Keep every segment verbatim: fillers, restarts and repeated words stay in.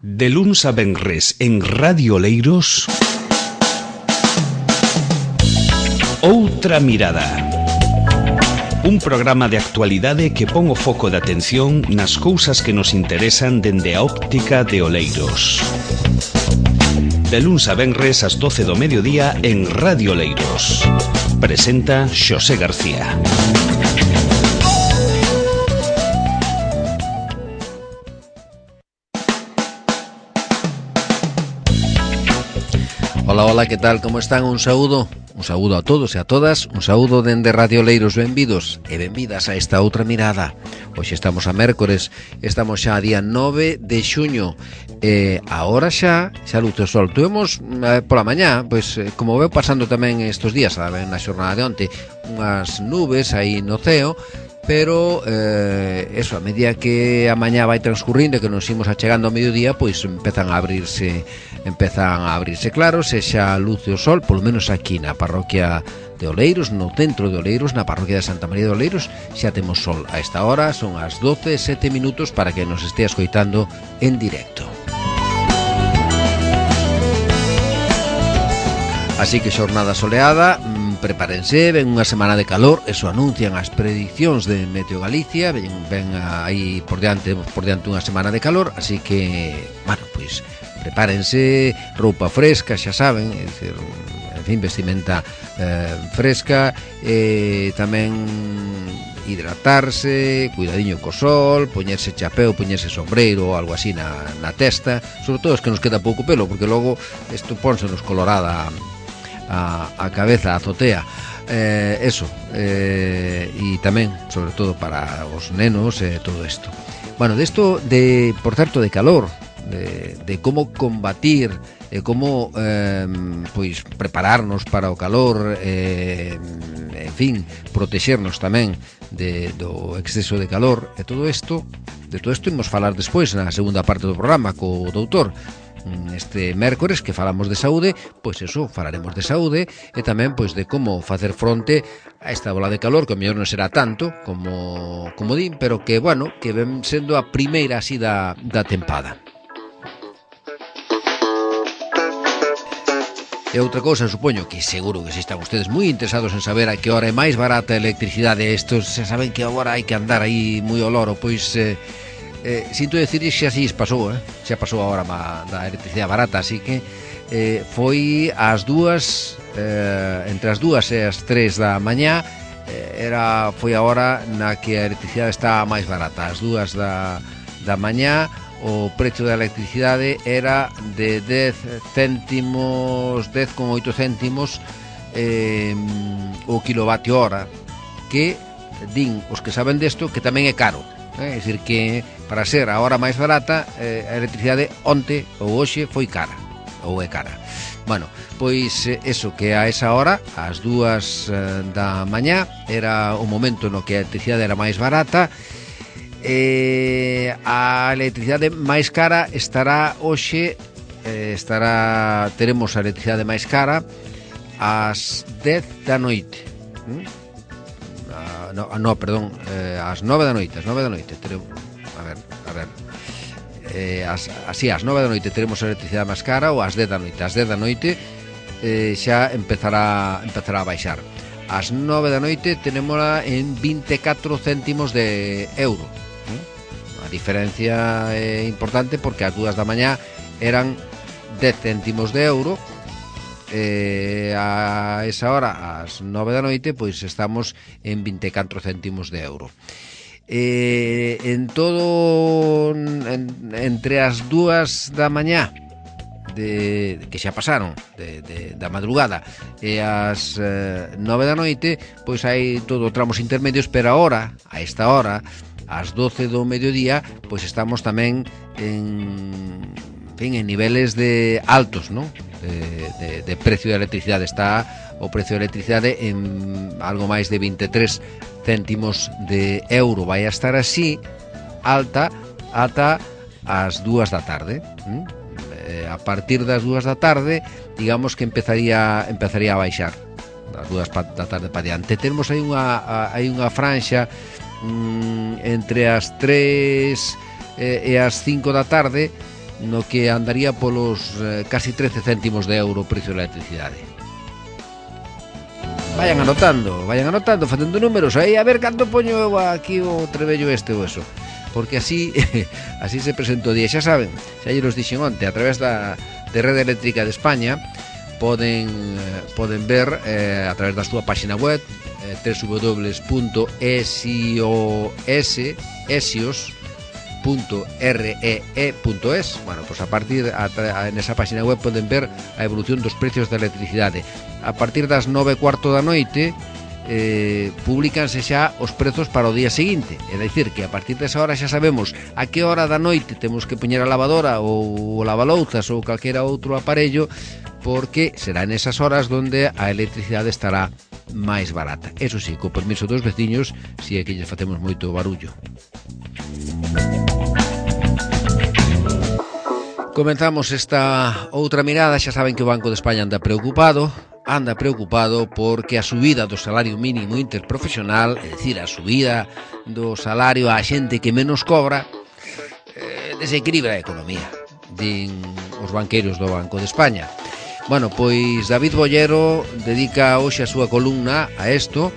De luns a venres en Radio Oleiros, Outra Mirada. Un programa de actualidade que pon o foco de atención nas cousas que nos interesan dende a óptica de Oleiros. De luns a venres ás doce do mediodía en Radio Oleiros. Presenta Xosé García. Ola, ola, que tal? Como están? Un saúdo, un saúdo a todos e a todas, un saúdo dende Radio Oleiros. Benvidos e benvidas a esta outra mirada. Hoxe estamos a mércores, estamos xa a día nove de xuño. E agora xa, xa luce o sol. Tuvemos eh, pola mañá, pois eh, como veu pasando tamén estes días, saben, na xornada de onte, unhas nubes aí no ceo, pero eh, eso, a medida que a mañá vai transcurrindo e que nos imos achegando ao mediodía, pois empezan a abrirse empezan a abrirse claros e xa luce o sol, polo menos aquí na parroquia de Oleiros, no centro de Oleiros, na parroquia de Santa María de Oleiros, xa temos sol. A esta hora son as doce e sete minutos para que nos estea escoitando en directo. Así que xornada soleada, prepárense, ven unha semana de calor, eso anuncian as prediccións de Meteo Galicia, ven, ven aí por diante, por diante unha semana de calor, así que, bueno, pois prepárense, roupa fresca, xa saben, é dicir, en fin, vestimenta eh, fresca, e tamén hidratarse, cuidadiño co sol, poñerse chapeu, poñerse sombreiro ou algo así na, na testa, sobre todo es que nos queda pouco pelo, porque logo isto pónsenos colorada a, a cabeza, a azotea. Eh, eso, eh, e tamén, sobre todo para os nenos e eh, todo isto. Bueno, desto de, por certo, de calor, de, de como combatir, de como eh, pois prepararnos para o calor, eh, en fin, protexernos tamén de, do exceso de calor, e todo isto, de todo isto imos falar despois na segunda parte do programa co doutor. Este mércores que falamos de saúde, pois eso, falaremos de saúde e tamén pois de como facer fronte a esta bola de calor, que o mellor non será tanto como, como din, pero que, bueno, que ven sendo a primeira así da, da tempada. E outra cousa, supoño que seguro que se están ustedes moi interesados en saber a que hora é máis barata a electricidade. Estos xa saben que agora hai que andar aí moi ao loro, pois eh, eh, sinto decir xa así pasou, eh? xa pasou a hora ma, da electricidade barata, así que eh, foi ás dúas, eh, entre as dúas e as tres da mañá, eh, era, foi a hora na que a electricidade está máis barata. As dúas da, da mañá o precio da electricidade era de dez céntimos, dez con oito céntimos eh, o kilovatio hora, que din os que saben desto que tamén é caro, eh? É dicir que para ser a hora máis barata, eh, a electricidade onte ou hoxe foi cara, ou é cara. Bueno, pois eh, eso, que a esa hora, ás dúas eh, da mañá, era o momento no que a electricidade era máis barata. Eh, a electricidade máis cara estará hoxe, eh, estará, teremos a electricidade máis cara ás dez da noite. ¿Mm? Ah, no, no, perdón, eh, ás nove da noite, ás nove da noite teremos, a ver, a ver. Eh, as, así, ás nove da noite teremos a electricidade máis cara, ou ás dez da noite. Ás dez da noite eh, xa empezará empezará a baixar. Ás nove da noite tenémola en vinte e catro céntimos de euro. A diferencia é importante porque ás dúas da mañá eran dez céntimos de euro, e a esa hora, ás nove da noite, pois estamos en vinte e catro céntimos de euro. E en todo, en, entre as dúas da mañá de, que xa pasaron de, de, da madrugada e as eh, nove da noite, pois hai todo tramos intermedios, pero agora, a esta hora, ás doce do mediodía, pois estamos tamén en, en fin, en niveles de altos, ¿no? De, de, de precio de electricidade. Está o precio de electricidade en algo máis de vinte e tres céntimos de euro. Vai a estar así alta ata as dúas da tarde. ¿Mm? Eh, a partir das dúas da tarde, digamos que empezaría empezaría a baixar. Das dúas da tarde para diante. Temos aí unha hai unha franxa mm, entre as tres e, e as cinco da tarde no que andaría polos eh, casi trece céntimos de euro o precio da electricidade. Vayan anotando, vayan anotando, facendo números aí, a ver canto poño eu aquí o trebello este ou eso, porque así así se presenta o día. Xa saben, xa lle los dixen onte, a través da de Rede Eléctrica de España poden poden ver eh, a través da súa página web eh, w w w punto esios punto ree punto es. Bueno, pues a partir a, a, en esa página web poden ver a evolución dos precios da electricidade. A partir das nove e cuarto da noite eh, publicanse xa os prezos para o día seguinte. É dicir, que a partir desa hora xa sabemos a que hora da noite temos que poñer a lavadora ou o lavalouzas ou calquera outro aparello, porque será nesas horas donde a electricidade estará máis barata. Eso sí, co permiso dos veciños, si é que lles facemos moito barullo. Comenzamos esta outra mirada. Xa saben que o Banco de España anda preocupado anda preocupado porque a subida do salario mínimo interprofesional, é dicir, a subida do salario á xente que menos cobra, eh, desequilibra a economía, din os banqueiros do Banco de España. Bueno, pois David Bollero dedica hoxe a súa columna a isto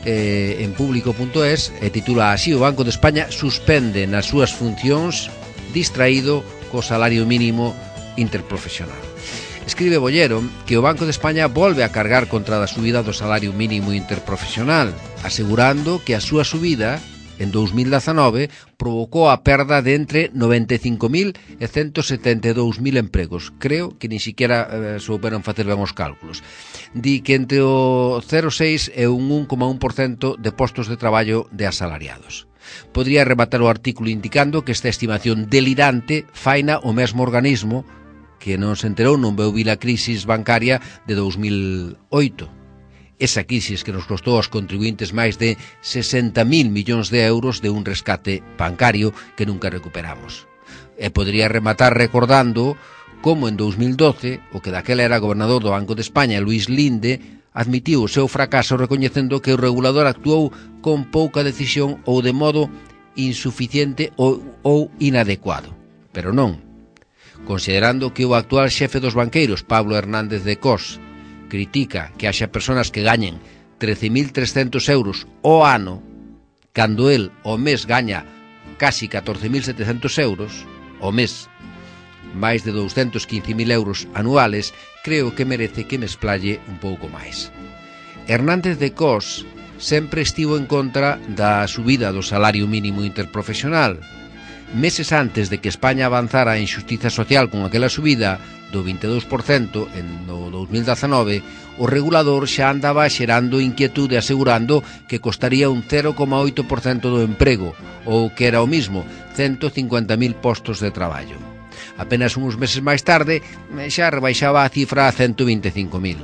eh, en público punto es e titula así: o Banco de España suspende nas súas funcións distraído co salario mínimo interprofesional. Escribe Bollero que o Banco de España volve a cargar contra a subida do salario mínimo interprofesional, asegurando que a súa subida en dous mil dezanove provocou a perda de entre noventa e cinco mil e ciento setenta e dous mil empregos. Creo que ni siquiera eh, souberon facer ben os cálculos. Di que entre o cero coma seis e un un coma un por cento de postos de traballo de asalariados. Podría rematar o artículo indicando que esta estimación delirante faina o mesmo organismo que non se enterou, non veu vir a crisis bancaria de dous mil oito. Esa crisis que nos costou aos contribuintes máis de sesenta mil millóns de euros de un rescate bancario que nunca recuperamos. E podría rematar recordando como en dous mil doce, o que daquela era gobernador do Banco de España, Luís Linde, admitiu o seu fracaso recoñecendo que o regulador actuou con pouca decisión ou de modo insuficiente ou, ou inadecuado. Pero non. Considerando que o actual xefe dos banqueiros, Pablo Hernández de Cos, critica que haxa persoas que gañen trece mil trescentos euros ao ano, cando el ao mes gaña casi catorce mil setecentos euros ao mes, máis de douscentos quince mil euros anuales, creo que merece que me explaye un pouco máis. Hernández de Cos sempre estivo en contra da subida do salario mínimo interprofesional. Meses antes de que España avanzara en xustiza social con aquela subida do vinte e dous por cento en no dous mil dezanove, o regulador xa andaba xerando inquietude asegurando que costaría un cero coma oito por cento do emprego, ou que era o mismo, ciento cincuenta mil postos de traballo. Apenas uns meses máis tarde xa rebaixaba a cifra a ciento vinte e cinco mil.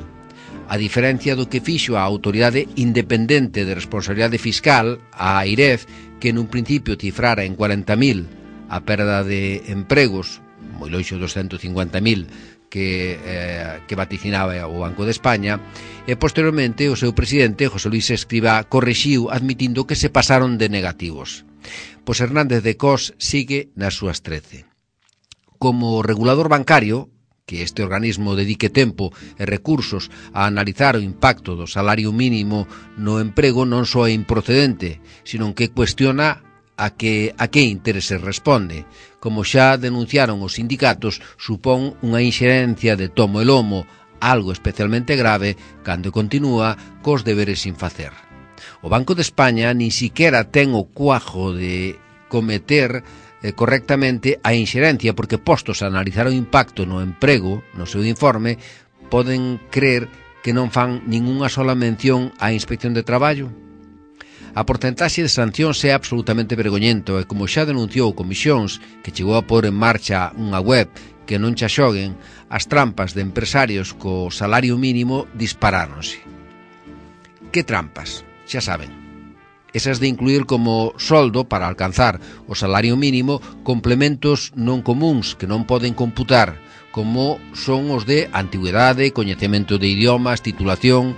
A diferencia do que fixo a Autoridade Independente de Responsabilidade Fiscal, a AIREF, que nun principio cifrara en cuarenta mil a perda de empregos, moi loixo dos ciento cincuenta mil que, eh, que vaticinaba o Banco de España, e posteriormente o seu presidente, José Luis Escrivá, corrixiu admitindo que se pasaron de negativos. Pois Hernández de Cos sigue nas súas trece. Como regulador bancario, que este organismo dedique tempo e recursos a analizar o impacto do salario mínimo no emprego, non só é improcedente, sino que cuestiona a que a que intereses responde. Como xa denunciaron os sindicatos, supón unha inxerencia de tomo e lomo, algo especialmente grave cando continúa cos deberes sin facer. O Banco de España nin siquiera ten o cuajo de cometer eh, correctamente a inxerencia, porque postos a analizar o impacto no emprego, no seu informe, poden crer que non fan ningunha sola mención á Inspección de Traballo. A porcentaxe de sancións é absolutamente vergoñento e, como xa denunciou Comisións, que chegou a pôr en marcha unha web que non xa xoguen, as trampas de empresarios co salario mínimo disparáronse. Que trampas? Xa saben. Esas de incluir como soldo para alcanzar o salario mínimo complementos non comuns que non poden computar, como son os de antigüedade, coñecemento de idiomas, titulación,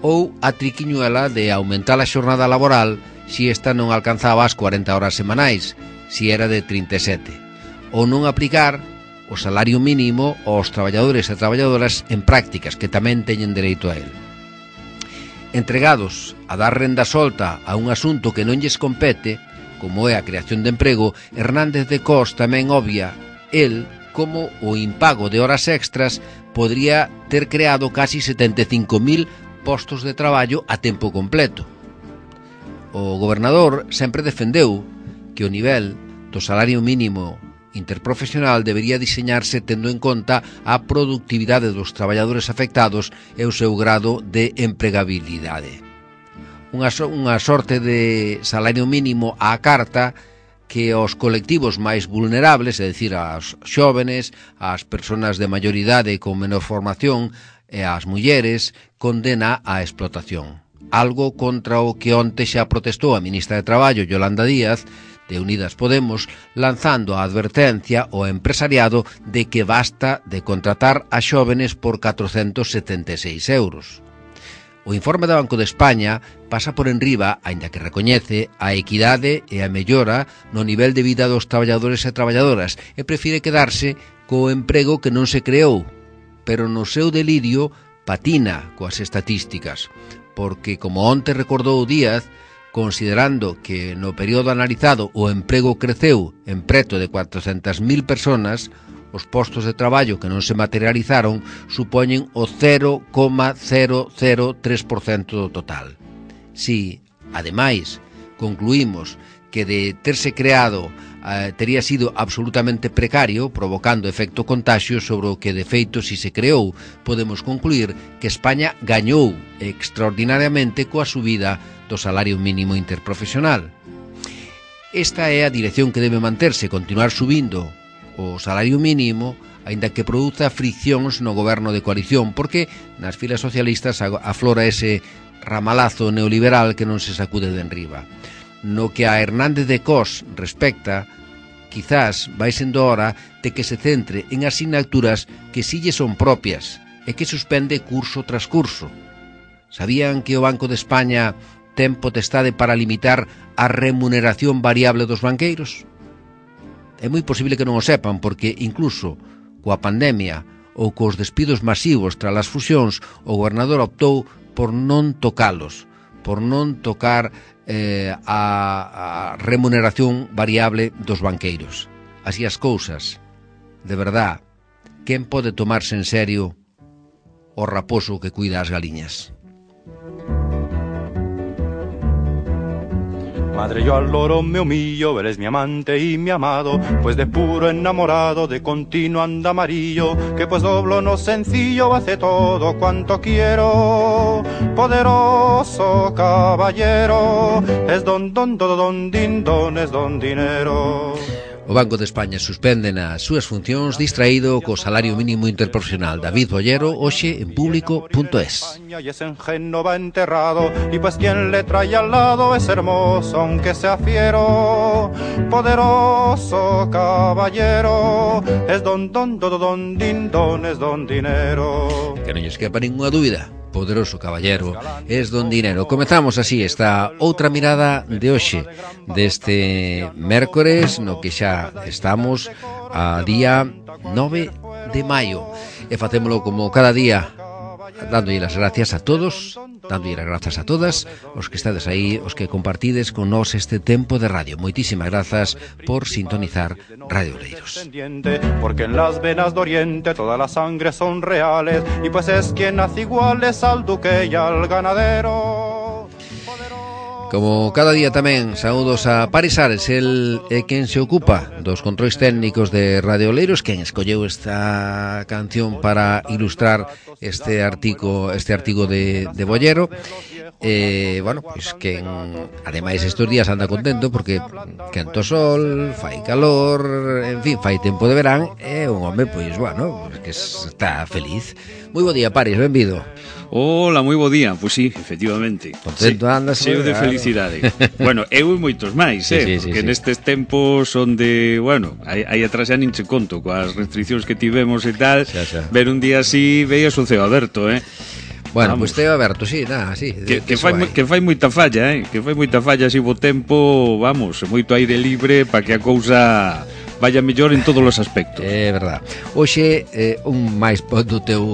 ou a triquiñuela de aumentar a xornada laboral si esta non alcanzaba as cuarenta horas semanais, si era de trinta e sete, ou non aplicar o salario mínimo aos traballadores e traballadoras en prácticas, que tamén teñen dereito a él. Entregados a dar renda solta a un asunto que non lles compete, como é a creación de emprego, Hernández de Cos tamén obvia el como o impago de horas extras podría ter creado casi setenta e cinco mil postos de traballo a tempo completo. O gobernador sempre defendeu que o nivel do salario mínimo interprofesional debería diseñarse tendo en conta a productividade dos traballadores afectados e o seu grado de empregabilidade. Unha, so, unha sorte de salario mínimo á carta que aos colectivos máis vulnerables, é dicir, aos xóvenes, ás persoas de maior idade con menor formación e ás mulleres, condena á explotación. Algo contra o que onte xa protestou a ministra de Traballo, Yolanda Díaz, de Unidas Podemos, lanzando a advertencia ao empresariado de que basta de contratar a xóvenes por catrocentos setenta e seis euros. O informe do Banco de España pasa por enriba, aínda que recoñece a equidade e a mellora no nivel de vida dos traballadores e traballadoras e prefire quedarse co emprego que non se creou, pero no seu delirio patina coas estatísticas, porque, como onte recordou Díaz, considerando que no período analizado o emprego creceu en preto de cuatrocentas mil personas, os postos de traballo que non se materializaron supoñen o cero coma cero cero tres por cento do total. Si, ademais, concluímos que de terse creado eh, tería sido absolutamente precario, provocando efecto contagio sobre o que de feito si se creou, podemos concluir que España gañou extraordinariamente coa subida do salario mínimo interprofesional. Esta é a dirección que debe manterse, continuar subindo o salario mínimo, aínda que produza friccións no goberno de coalición, porque nas filas socialistas aflora ese ramalazo neoliberal que non se sacude de enriba. No que a Hernández de Cos respecta, quizás vai sendo hora de que se centre en asignaturas que si lle son propias e que suspende curso tras curso. Sabían que o Banco de España ten potestade para limitar a remuneración variable dos banqueiros? É moi posible que non o sepan, porque incluso coa pandemia ou cos despidos masivos tras as fusións, o gobernador optou por non tocalos, por non tocar eh, a, a remuneración variable dos banqueiros. Así as cousas, de verdad, quen pode tomarse en serio o raposo que cuida as galiñas? Madre, yo al loro me humillo, eres mi amante y mi amado, pues de puro enamorado, de continuo anda amarillo, que pues doblo no sencillo, hace todo cuanto quiero. Poderoso caballero, es don, don, don, don, din, don, es don dinero. O Banco de España suspende nas súas funcións distraído co salario mínimo interprofesional. David Bollero, hoxe en público punto es. Y ese engenho va enterrado, y pues quien le trae al lado es hermoso, aunque sea fiero. Poderoso caballero, es don, don, don, don, din, don, es don dinero. Que non lles quepa ninguna dúbida. Poderoso caballero, es don dinero. Comezamos así esta outra mirada de hoxe, deste mércores, no que xa estamos a día nove de maio. E facémolo como cada día, dándolle as gracias a todos, dándolle as grazas a todas os que estades aí, os que compartides con nós este tempo de radio. Moitísimas grazas por sintonizar Radio Oleiros. Porque en las venas de Oriente todas las sangres son reales, y pues es quien hace iguales al duque y al ganadero. Como cada día tamén, saúdos a Paris Ares, el é quen se ocupa dos controis técnicos de Radio Oleiros, quen escolleu esta canción para ilustrar este artigo, este artigo de, de Bollero. Eh, bueno, pois pues que ademais estes días anda contento porque quento sol, fai calor, en fin, fai tempo de verán, e un home, pois, bueno, que está feliz. Moi bo día, Paris, benvido. Hola, moi bo día. Pois sí, efectivamente. Contento andas, cheo de felicidade. Bueno, eu e moitos máis, sí, eh, sí, porque sí, sí. nestes tempos onde, bueno, aí, aí atrás xa nin che conto coas restriccións que tivemos e tal, xa, xa. ver un día así veías o ceo aberto, eh. Bueno, pois pues teo aberto, sí, nada, sí. Que, que, fai, que fai moita falla, eh? Que fai moita falla así bo tempo, vamos, moito aire libre para que a cousa vaya mellor en todos os aspectos. É verdad. Hoxe eh, un máis do teu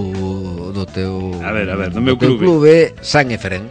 do teu A ver, a ver, do meu teu clube. clube San Efrén.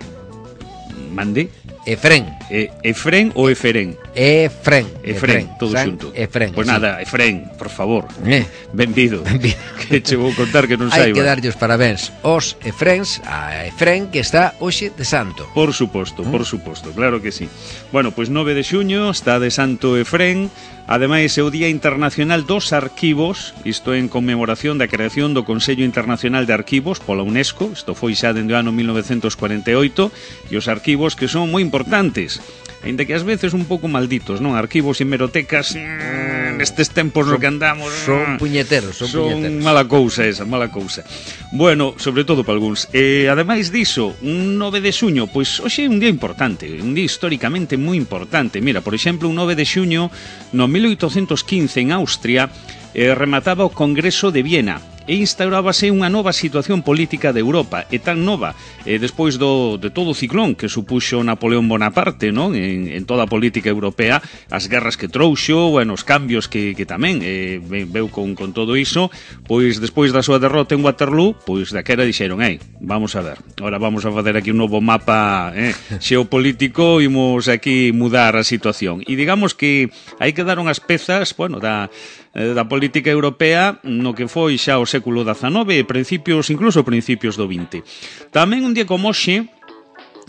Mande? Efrén. E, Efrén ou Eferén? Efrén. Efrén, todo San xunto. Efrén. Pois sí. nada, Efrén, por favor. Eh. Benvido. Benvido. Que che vou contar que non Hai saiba. que darlle os parabéns aos Efréns, a Efrén que está hoxe de santo. Por suposto, por suposto, claro que sí. Bueno, pois nove de xuño está de Santo Efrén. Ademais, é o Día Internacional dos Arquivos, isto en conmemoración da creación do Consello Internacional de Arquivos pola UNESCO, isto foi xa dende o ano mil novecentos cuarenta e oito, e os arquivos que son moi importantes, ainda que ás veces un pouco malditos, non? Arquivos e hemerotecas, mm, nestes tempos no que andamos, Son puñeteros, son, son puñeteros. mala cousa esa, mala cousa. Bueno, sobre todo para algúns. E ademais diso, un nove de xuño, pois hoxe é un día importante, un día históricamente moi importante. Mira, por exemplo, un nove de xuño no mil oitocentos quince en Austria eh, remataba o Congreso de Viena e instaurábase unha nova situación política de Europa, e tan nova eh, despois do, de todo o ciclón que supuxo Napoleón Bonaparte, non? En, en toda a política europea, as guerras que trouxo, bueno, os cambios que, que tamén eh, veu con, con todo iso, pois despois da súa derrota en Waterloo, pois daquera dixeron, ei, vamos a ver, ahora vamos a facer aquí un novo mapa eh, xeopolítico, imos aquí mudar a situación. E digamos que aí quedaron as pezas, bueno, da da política europea no que foi xa o século dezanove e principios, incluso principios do vinte. Tamén un día como hoxe,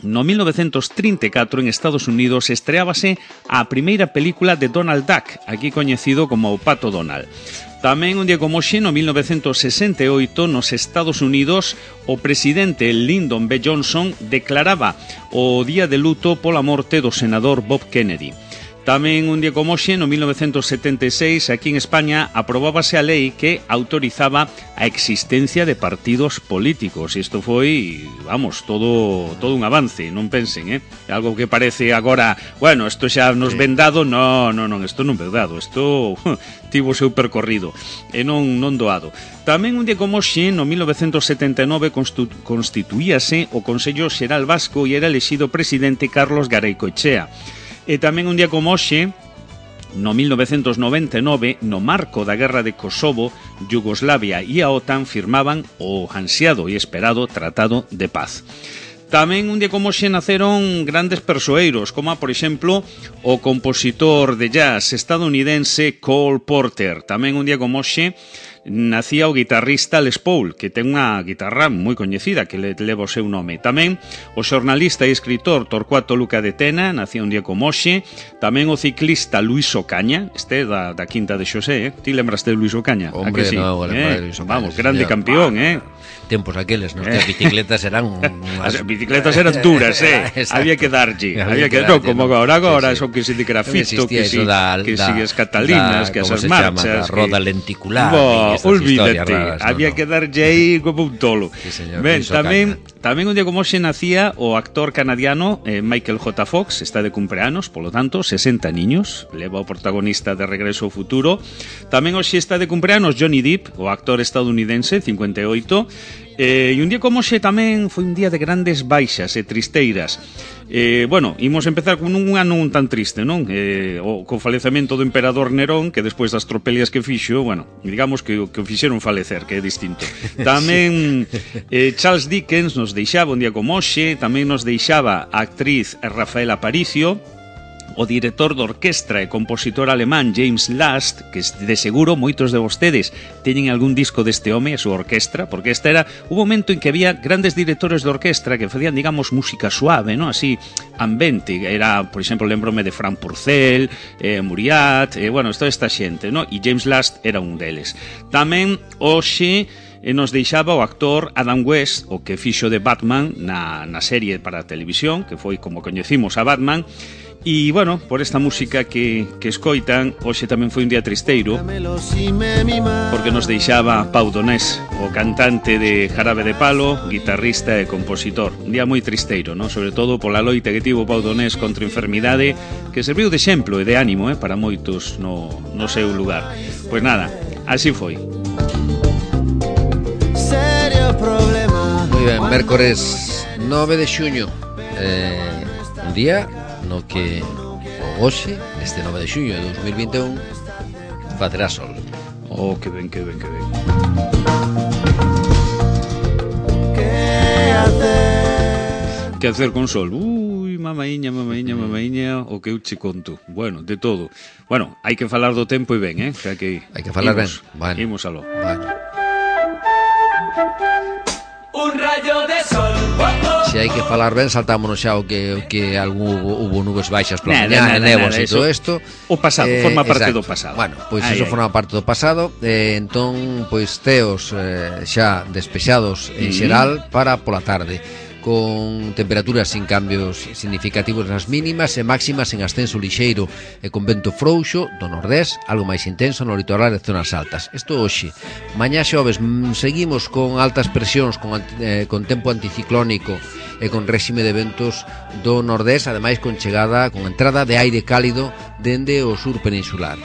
no mil novecentos trinta e catro en Estados Unidos estreábase a primeira película de Donald Duck, aquí coñecido como o Pato Donald. Tamén un día como hoxe, no mil novecentos sesenta e oito, nos Estados Unidos, o presidente Lyndon B. Johnson declaraba o día de luto pola morte do senador Bob Kennedy. Tamén un día como hoxe, no mil novecentos setenta e seis, aquí en España, aprobábase a lei que autorizaba a existencia de partidos políticos. Isto foi, vamos, todo todo un avance, non pensen, eh? Algo que parece agora, bueno, isto xa nos ven dado, no, no, non, isto non ven dado, isto tivo o seu percorrido, e non, non doado. Tamén un día como hoxe, no mil novecentos setenta e nove, constituíase o Consello Xeral Vasco e era elexido presidente Carlos Garay Coechea. E tamén un día como hoxe, no mil novecentos noventa e nove, no marco da guerra de Kosovo, Yugoslavia e a OTAN firmaban o ansiado e esperado Tratado de Paz. Tamén un día como hoxe naceron grandes persoeiros, como, por exemplo, o compositor de jazz estadounidense Cole Porter. Tamén un día como hoxe nacía o guitarrista Les Paul, que ten unha guitarra moi coñecida que le leva o seu nome. Tamén o xornalista e escritor Torcuato Luca de Tena nacía un día como hoxe. Tamén o ciclista Luis Ocaña, este da, da Quinta de Xosé, eh? Ti lembraste de Luis Ocaña? Hombre, sí? no, eh? Luis Ocaña, vamos, grande señor. campeón, eh? Tempos aqueles, nos que as bicicletas eran unhas... As bicicletas eran duras, eh? Había que darlle, había que, no, como agora, agora, sí, sí. son que si de grafito, Non que si, da, que da, si as catalinas, da, que esas chama, marchas, da roda que... lenticular, Bo, olvídate, raras, había no, que darlle aí como un tolo. Sí, señor, Ben, Luis tamén, Ocaña. tamén un día como hoxe nacía o actor canadiano eh, Michael J. Fox, está de cumpleanos, polo tanto, sesenta niños, leva o protagonista de Regreso ao Futuro. Tamén hoxe está de cumpleanos Johnny Depp, o actor estadounidense, cincuenta e oito. Eh, e un día como hoxe tamén foi un día de grandes baixas e tristeiras. Eh, bueno, imos empezar con un ano un tan triste, non? Eh, o, co falecemento do emperador Nerón, que despois das tropelias que fixo, bueno, digamos que o que o fixeron falecer, que é distinto. Tamén eh, Charles Dickens nos deixaba un día como hoxe, tamén nos deixaba a actriz Rafael Aparicio, o director de orquestra e compositor alemán James Last, que de seguro moitos de vostedes teñen algún disco deste home, a súa orquestra, porque esta era un momento en que había grandes directores de orquestra que facían, digamos, música suave, ¿no? Así, ambente. Era, por exemplo, lembrome de Frank Purcell, eh, Muriat, eh, bueno, toda esta xente, ¿no? E James Last era un deles. Tamén, hoxe, e nos deixaba o actor Adam West, o que fixo de Batman na, na serie para a televisión, que foi como coñecimos a Batman. E, bueno, por esta música que, que escoitan, hoxe tamén foi un día tristeiro, porque nos deixaba Pau Donés, o cantante de Jarabe de Palo, guitarrista e compositor. Un día moi tristeiro, ¿no? Sobre todo pola loita que tivo Pau Donés contra a enfermidade, que serviu de exemplo e de ánimo, eh, para moitos no, no seu lugar. Pois nada, así foi. Moi ben, mércores nove de xuño, eh, un día no que o hoxe, este nove de xuño de dos mil vinte e un, facerá sol. Oh, que ben, que ben, que ben. Que hacer? Que hacer con sol? Ui, mamaíña, mamaíña, mamaíña, o que eu che conto. Bueno, de todo. Bueno, hai que falar do tempo e ben, eh? Que hai que ir. Hai que falar ben. Bueno. Imos aló. Bueno. Un rayo de sol. Oh, oh. Se hai que falar ben, saltámonos xa o que, o que algún hubo, hubo nubes baixas pola Nada, mañá, nada, nevos nada, e todo eso- isto. O pasado, Eh, forma parte do exacto. pasado. Bueno, pois Ai, ai. iso forma parte do pasado. eh, Entón, pois teos eh, xa despexados en Mm. xeral para pola tarde, con temperaturas sin cambios significativos nas mínimas e máximas en ascenso lixeiro e con vento frouxo do nordés, algo máis intenso no litoral e zonas altas. Isto hoxe. Mañá xoves mm, seguimos con altas presións, con, anti- eh, con tempo anticiclónico e con réxime de ventos do nordés, ademais con chegada, con entrada de aire cálido dende o sur peninsular.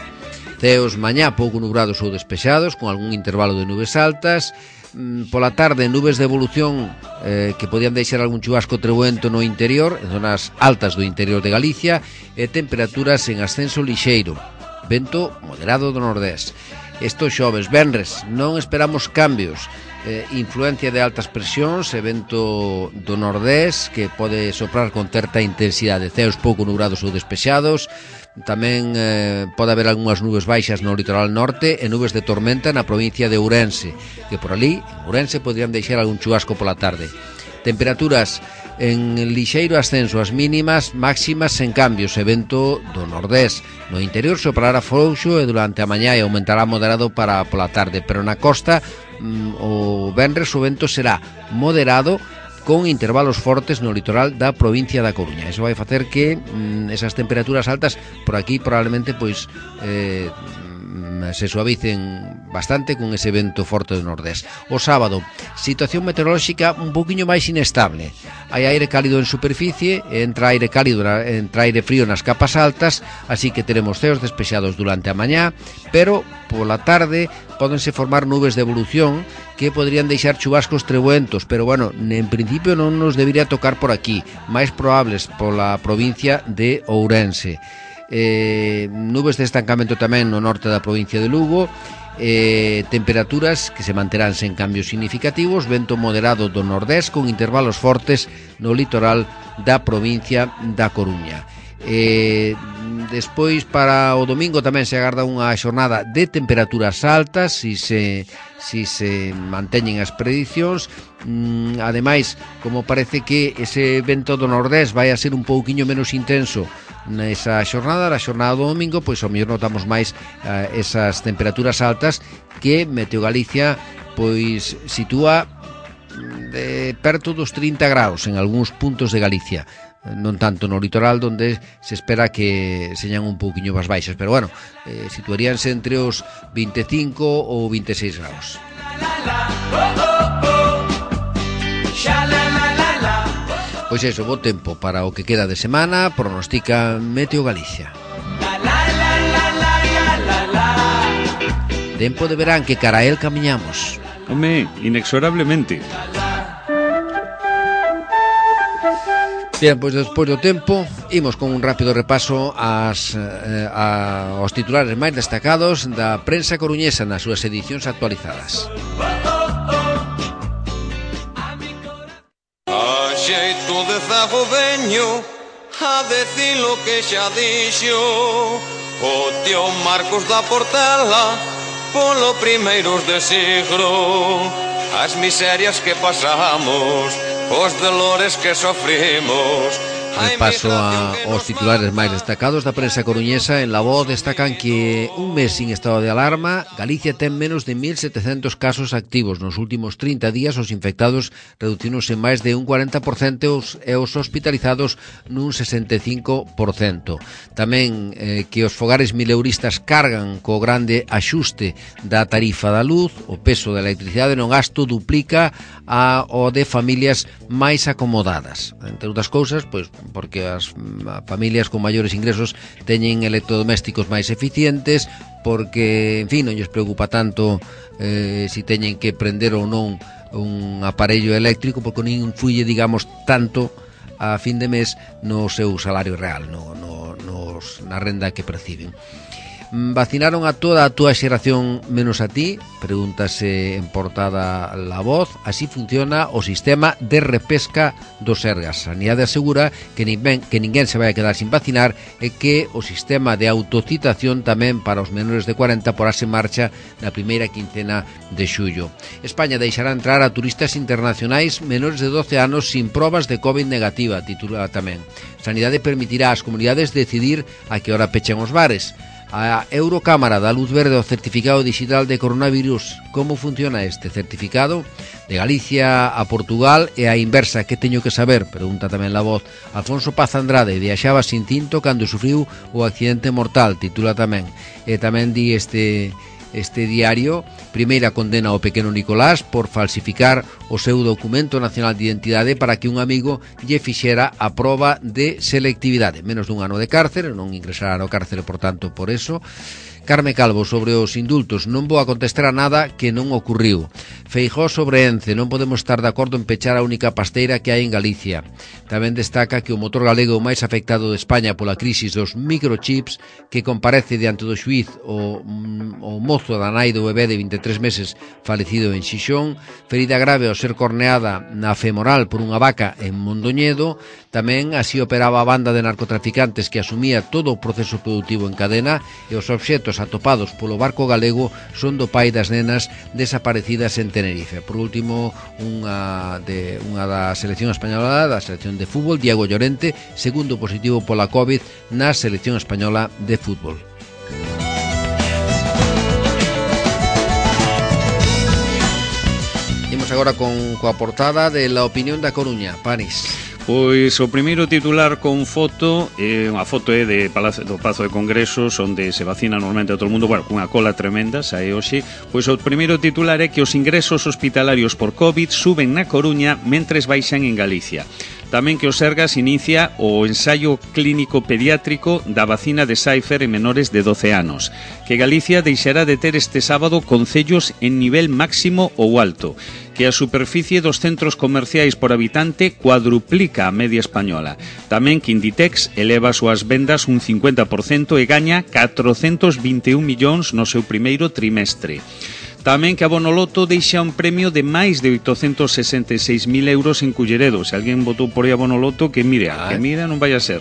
Ceos mañá pouco nubrados ou despexados, con algún intervalo de nubes altas. Mm, Pola tarde, nubes de evolución eh, que podían deixar algún chubasco trebuento no interior, en zonas altas do interior de Galicia, e temperaturas en ascenso lixeiro, vento moderado do nordés. Isto xoves, venres, non esperamos cambios, eh, influencia de altas presións e vento do nordés que pode soprar con certa intensidade, ceos pouco nubrados ou despexados. Tamén eh, pode haber algunhas nubes baixas no litoral norte e nubes de tormenta na provincia de Ourense, que por ali, en Ourense, podrían deixar algún chubasco pola tarde. Temperaturas en lixeiro ascenso as mínimas, máximas sen cambios e vento do nordés. No interior soprará frouxo e durante a mañá e aumentará moderado para pola tarde, pero na costa mm, o venres o vento será moderado con intervalos fortes no litoral da provincia da Coruña. Eso vai facer que mm, esas temperaturas altas por aquí probablemente pois eh, mm, se suavicen bastante con ese vento forte do nordés. O sábado, situación meteorolóxica un poquinho máis inestable. Hai aire cálido en superficie, entra aire cálido, entra aire frío nas capas altas, así que teremos ceos despexados durante a mañá, pero pola tarde pódense formar nubes de evolución que podrían deixar chubascos trebuentos, pero bueno, en principio non nos debería tocar por aquí, máis probables pola provincia de Ourense. Eh, nubes de estancamento tamén no norte da provincia de Lugo, eh, temperaturas que se manterán sen cambios significativos, vento moderado do nordés con intervalos fortes no litoral da provincia da Coruña. Eh, despois para o domingo tamén se agarda unha xornada de temperaturas altas si se, si se manteñen as predicións. mm, ademais, como parece que ese vento do nordés vai a ser un pouquiño menos intenso nesa xornada, a xornada do domingo, pois ao mellor notamos máis uh, esas temperaturas altas que Meteo Galicia pois sitúa de perto dos trinta graus en algúns puntos de Galicia, non tanto no litoral, onde se espera que señan un pouquiño máis baixas, pero bueno, eh, situaríanse entre os vinte e cinco ou vinte e seis graus. Pois iso, bo tempo para o que queda de semana, pronostica Meteo Galicia. Tempo de verán que cara a el camiñamos. Home, inexorablemente. Bien, pois despois do tempo imos con un rápido repaso ás, eh, a, aos titulares máis destacados da prensa coruñesa nas súas edicións actualizadas. A xeito de zago veño a decir lo que xa dixo o tío Marcos da Portela polo primeiros de siglo, as miserias que pasamos, os dolores que sofrimos. En paso a, aos titulares máis destacados da prensa coruñesa. En La Voz destacan que un mes sin estado de alarma, Galicia ten menos de mil setecentos casos activos. Nos últimos trinta días os infectados reducironse máis de un cuarenta por cento e os hospitalizados nun sesenta e cinco por cento. Tamén eh, que os fogares mileuristas cargan co grande axuste da tarifa da luz, o peso da electricidade no gasto duplica a o de familias máis acomodadas. Entre outras cousas, pois porque as familias con maiores ingresos teñen electrodomésticos máis eficientes, porque, en fin, non lles preocupa tanto eh, si teñen que prender ou non un aparello eléctrico, porque non influye, digamos, tanto a fin de mes no seu salario real, no, no, nos, na renda que perciben. Vacinaron a toda a túa xeración menos a ti? Pregúntase en portada La Voz. Así funciona o sistema de repesca do Sergas. Sanidade asegura que ninguén, que ninguén se vai a quedar sin vacinar e que o sistema de autocitación tamén para os menores de cuarenta porase en marcha na primeira quincena de xullo. España deixará entrar a turistas internacionais menores de doce anos sin probas de COVID negativa, titula tamén. Sanidade permitirá ás comunidades decidir a que hora pechan os bares. A Eurocámara dá luz verde ao certificado digital de coronavirus. Como funciona este certificado? De Galicia a Portugal e a inversa, que teño que saber? Pregunta tamén La Voz. Alfonso Paz Andrade viaxaba sin tinto cando sufriu o accidente mortal, titula tamén. E tamén di este... Este diario, primeira condena ao pequeno Nicolás por falsificar o seu documento nacional de identidade para que un amigo lle fixera a proba de selectividade. Menos dun ano de cárcere, non ingresará no cárcere, por tanto, por eso. Carme Calvo sobre os indultos. Non vou a contestar a nada que non ocurriu. Feijóo sobre Ence. Non podemos estar de acordo en pechar a única pasteira que hai en Galicia. Tamén destaca que o motor galego máis afectado de España pola crisis dos microchips, que comparece diante do xuíz o, o mozo da nai do bebé de vinte e tres meses falecido en Xixón, ferida grave ao ser corneada na femoral por unha vaca en Mondoñedo. Tamén así operaba a banda de narcotraficantes que asumía todo o proceso productivo en cadena, e os obxetos atopados polo barco galego son do pai das nenas desaparecidas en Tenerife. Por último, unha, de, unha da selección española, da selección de fútbol, Diego Llorente, segundo positivo pola COVID na selección española de fútbol. Imos agora con coa portada de La Opinión da Coruña. Panis. Pois o primeiro titular con foto, eh, a foto é de Palacio, do Pazo de Congresos, onde se vacina normalmente a todo o mundo, bueno, cunha cola tremenda, sae hoxe. Pois o primeiro titular é que os ingresos hospitalarios por COVID suben na Coruña mentres baixan en Galicia. Tamén que o Sergas inicia o ensaio clínico pediátrico da vacina de Pfizer en menores de doce anos. Que Galicia deixará de ter este sábado concellos en nivel máximo ou alto. Que a superficie dos centros comerciais por habitante cuadruplica a media española. Tamén que Inditex eleva as súas vendas un cincuenta por cento e gaña catrocentos vinte e un millóns no seu primeiro trimestre. Tamén que a Bonoloto deixa un premio de máis de oitocentos sesenta e seis mil euros en Culleredo. Se alguén votou por aí a Bonoloto, que mire, ah, que mire, non vai a ser.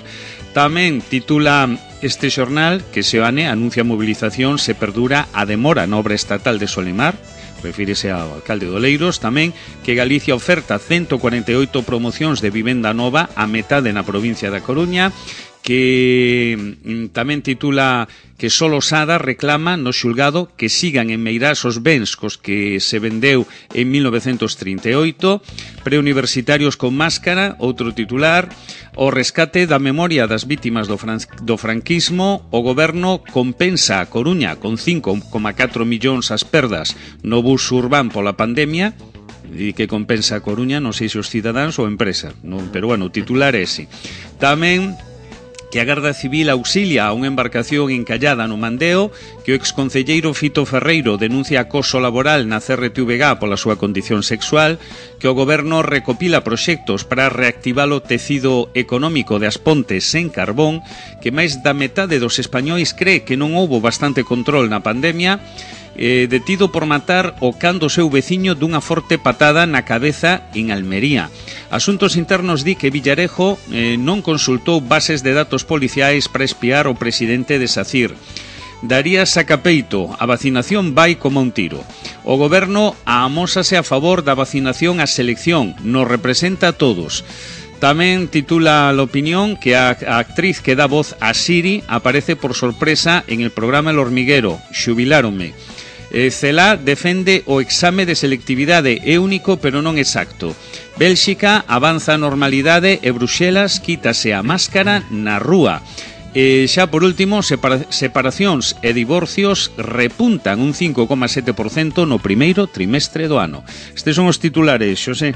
Tamén titula este xornal que Seoane anuncia movilización se perdura a demora na obra estatal de Solimar. Refírese ao alcalde de Oleiros. Tamén que Galicia oferta ciento cuarenta e oito promocións de vivenda nova a metade na provincia da Coruña. Que mm, tamén titula que Solo Sada reclama no xulgado que sigan en Meirás os bens cos que se vendeu en mil novecentos trinta e oito. Preuniversitarios con máscara, outro titular. O rescate da memoria das vítimas do, fran do franquismo. O goberno compensa a Coruña con cinco coma catro millóns as perdas no bus urbán pola pandemia. E que compensa a Coruña, non sei se os cidadáns ou a empresa, non, pero bueno, o titular é ese. Tamén que a Garda Civil auxilia a unha embarcación encallada no Mandeo, que o exconcelleiro Fito Ferreiro denuncia acoso laboral na C R T V G pola súa condición sexual, que o goberno recopila proxectos para reactivar o tecido económico de As Pontes sen carbón, que máis da metade dos españois cree que non houbo bastante control na pandemia, eh, detido por matar o can do seu veciño dunha forte patada na cabeza en Almería. Asuntos Internos di que Villarejo eh, non consultou bases de datos policiais para espiar o presidente de SACIR. Daría sacapeito, a vacinación vai como un tiro. O goberno amósase a favor da vacinación á selección, nos representa a todos. Tamén titula La Opinión que a, a actriz que dá voz a Siri aparece por sorpresa en el programa El Hormiguero, Xubiláronme. Eh, Celá defende o exame de selectividade, é único pero non exacto. Bélxica avanza a normalidade e Bruxelas quítase a máscara na rúa. E xa por último, separa separacións e divorcios repuntan un cinco coma sete por cento no primeiro trimestre do ano. Estes son os titulares, Xosé.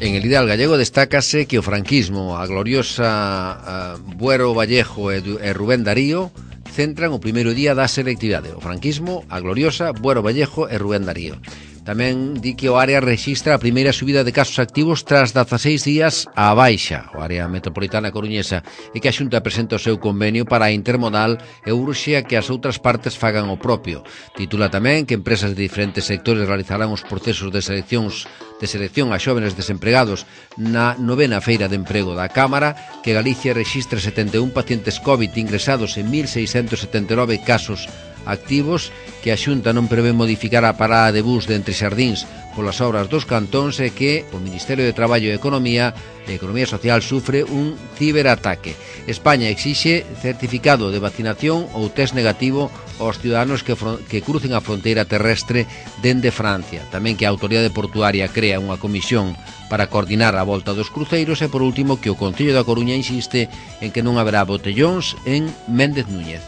En el ideal gallego destácase que o franquismo, a gloriosa uh, Buero Vallejo e, e Rubén Darío centran o primeiro día da selectividade. O franquismo, a gloriosa Buero Vallejo e Rubén Darío. Tamén di que o área rexistra a primeira subida de casos activos tras dezaseis días á baixa, o área metropolitana coruñesa, e que a Xunta presenta o seu convenio para a intermodal e urxe a que as outras partes fagan o propio. Titula tamén que empresas de diferentes sectores realizarán os procesos de seleccións de selección a xóvenes desempregados na novena feira de emprego da Cámara, que Galicia rexistra setenta e un pacientes COVID ingresados en mil seiscentos setenta e nove casos activos, que a Xunta non prevé modificar a parada de bus de Entre Xardíns polas obras dos cantóns e que o Ministerio de Traballo e Economía e Economía Social sufre un ciberataque. España exixe certificado de vacinación ou test negativo aos ciudadanos que, que crucen a fronteira terrestre dende Francia. Tamén que a Autoridade Portuaria crea unha comisión para coordinar a volta dos cruceiros e, por último, que o Concello da Coruña insiste en que non haberá botellóns en Méndez Núñez.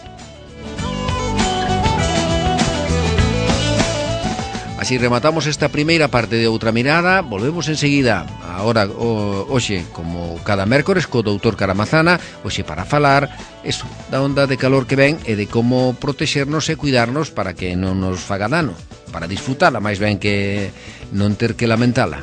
Así rematamos esta primeira parte de Outra Mirada. Volvemos enseguida, agora o, hoxe, como cada mércores, co doutor Caramazana, hoxe para falar eso, da onda de calor que ven e de como protexernos e cuidarnos para que non nos faga dano, para disfrutala, máis ben que non ter que lamentala.